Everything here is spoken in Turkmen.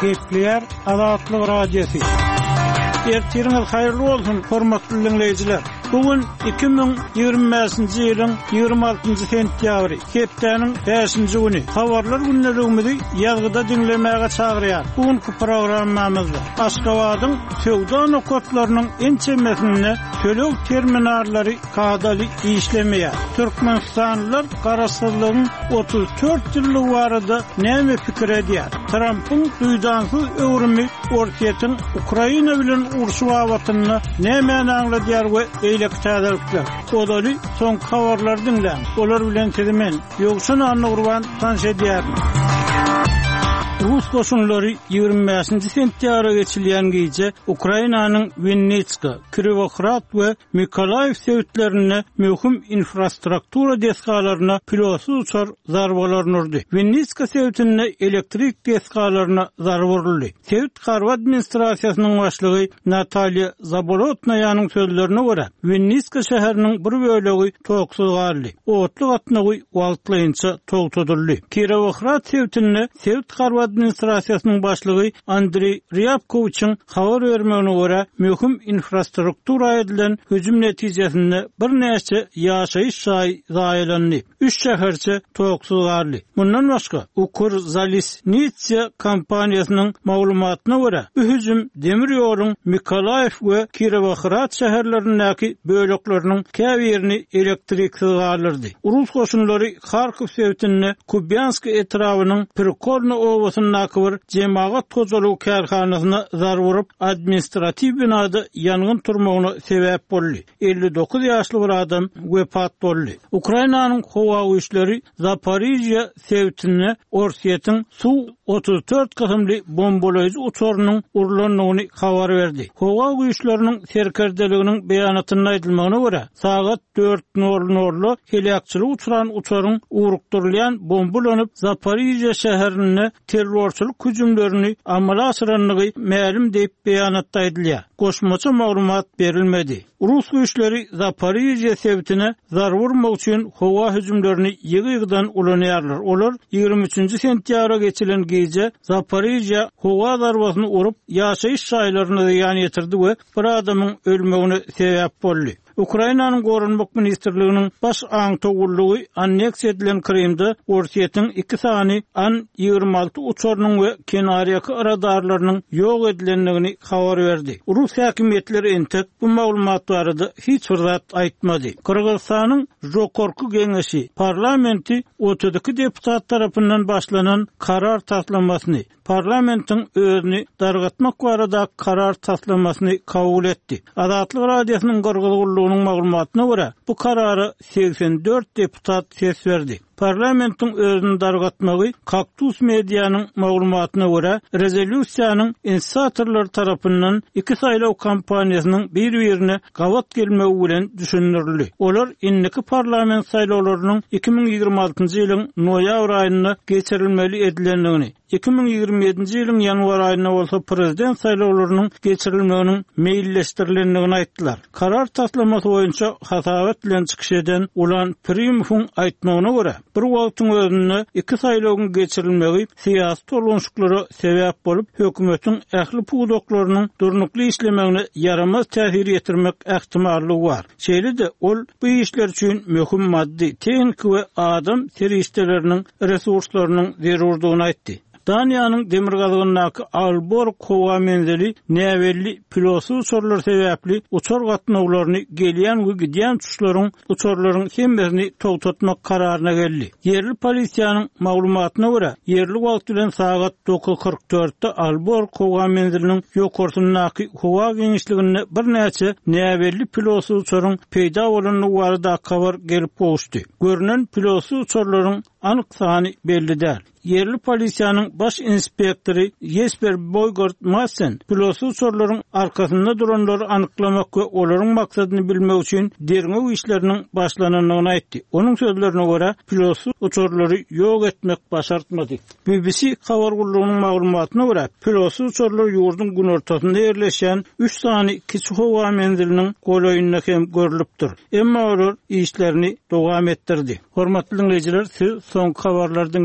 Gepleýär Azatlyk Radiosy. Ertiriňiz haýyrly bolsun, hormatly diňleýjiler! Bu gün 2025-nji ýylyň 26-njy sentýabry, hepdäniň bäşinji güni. Habarlar gündeligimizi ýazgyda diňlemäge çagyrýar. Bu günki programmamyzda Aşgabadyň söwda nokatlarynyň ençemesinde töleg terminallary kadaly işlemeýär. Türkmenistanlylar garaşsyzlygyň 34 ýyllygy barada näme pikir edýär? Trampyň duýdansyz öwrümi Orsýetiň Ukraina bilen urşy babatynda nämäni aňladýar we beýleki täzelikler. Ozaly soňky habarlary diňläň. Olar bilen sizi men, Ýowşan Annagurban tanyş edýärin. Rus goşunlary 25-nji sentýabra geçilýän gije Ukrainanyň Winnitska, Kirowohrad we Mykolaýiw sebitlerinde möhüm infrastruktura desgalaryna pilotsyz uçar zarbalaryny urdy. Winnitska sebitinde elektrik desgalaryna zarba uruldy. Sebit harby administrasiýasynyň başlygy Natalýa Zabolotnaýanyň sözlerine görä, Winnitska şäheriniň bir bölegi toksuz galdy, otly gatnawy wagtlaýynça togtadyldy. Kirowohrad sebitinde Sebit harby administrasiýasynyň başlygy Andreý Rýabkowiçiň habar bermegine görä, möhüm infrastruktura edilen hüjüm netijesinde birnäçe ýaşaýyş jaýy zaýalandy, üç şäherçe toksuz galdy. Mundan başga, Ukrzalisnitsia kompaniýasynyň maglumatyna görä, bu hüjüm demir ýoluň Mykolaýiw we Kirowohrad şäherlerindäki bölekleriniň käbirini elektriksiz galdyrdy. Rus goşunlary Harkow sebitinde Kubýansk etrabynyň Prikolno obasyndaky bir jemagat hojalygy kärhanasyna zarba urup, administratiw binada ýangyn turmagyna sebäp boldy. 59 ýaşly bir adam wepat boldy. Ukrainanyň howa güýçleri Zaporižýa sebitinde Orsýetiň Su-34 kysymly bombalaýjy uçarynyň urlandygyny habar berdi. Howa güýçleriniň serkerdeliginiň beýanatynda aýdylmagyna görä, sagat dört nol nolda heläkçilige uçran uçaryň ugrukdyrylýan bomba ulanyp, Zaporižýa şäherinde terrorçylyk hüjümlerini amala aşyrandygy mälim diýip, beýanatda aýdylýar. Goşmaça maglumat berilmedi. Rus güýçleri Zaporižýa sebitine zarba urmak üçin howa hüjümlerini ýygy-ýygydan ulanýarlar. Olar 23 nji sentýabra geçilen gije Zaporižýa howa zarbasyny urup, ýaşaýyş jaýlaryna zyýan ýetirdi we bir adamyň ölmegine sebäp boldy. Ukrainanyň Goranmak ministrliginiň Baş aňtaw gullugy anneksiýa edilen Krymda Orsýetiň iki sany An 26 uçarynyň we kenarýaka radarlarynyň ýok edilendigini habar berdi. Rus häkimiýetleri entek bu maglumat barada hiç bir zat aýtmady. Gyrgyzystanyň Žokorku Geňeşi parlamenti 32 deputat tarapyndan başlanan karar taslamasyny, parlamentiň özüni dargatmak barada karar taslamasyny kabul etdi. Azatlyk Radiosynyň Gyrgyz gullugynyň maglumatyna görä, bu karara 84 deputat ses berdi. Parlamentiň özüni dargatmagy Kaktus Medianyň maglumatyna görä, rezolýusiýanyň inisiatorlary tarapyndan iki saýlaw kampaniýasynyň bir-birine gabat gelmegi bilen düşündirildi. Olar indiki parlament saýlawlarynyň 2026-njy ýylyň noýabr aýynda geçirilmeli edilendigini, 2027-nji ýylyň ýanwar aýynda bolsa prezident saýlawlarynyň geçirilmeginiň meýilleşdirilendigini aýtdylar. Karar taslamasy boýunça hasabat bilen çykyş eden Ulan Primowyň aýtmagyna görä, bir wagtyň özünde iki saýlawyň geçirilmegi syýasy tolgunşyklara sebäp bolup, hökümetiň ähli pudaklarynyň durnukly işlemegine ýaramaz täsir ýetirmek ähtimallygy bar. Şeýle-de, ol bu işler üçin möhüm maddy, tehniki we adam serişdeleriniň resurslarynyň zerurdygyny aýtdy. Daniýanyň demirgazygyndaky Aalborg howa menzili näbelli pilotsyz uçarlar sebäpli uçar gatnawlaryny gelýän we gidýän uçuşlaryň uçarlaryň hemmesini togtatmak kararyna geldi. Ýerli polisiýanyň maglumatyna görä, ýerli wagt bilen sagat 9:44-de Aalborg howa menziliniň ýokarsyndaky howa giňişliginde birnäçe näbelli pilotsyz uçaryň peýda bolandygy baradaky habar gelip gowuşdy. Görnen pilotsyz uçarlaryň anyk sany belli däl. Ýerli polisiýanyň baş inspektory Ýesper Boýgard Madsen pilotsyz uçarlaryň arkasynda duranlary anyklamak we olaryň maksadyny bilmek üçin derňew işleriniň başlanandygyny aýtdy. Onuň sözlerine görä, pilotsyz uçarlary ýok etmek başartmady. BBC habar gullugynyň maglumatyna görä, pilotsyz uçarlar ýurduň günortasynda ýerleşýän üç sany kiçi howa menziliniň golaýynda hem görlüpdir. Emma olar işlerini dowam etdirdi. Hormatly diňleýjiler, siz soňky habarlary diňlediňiz.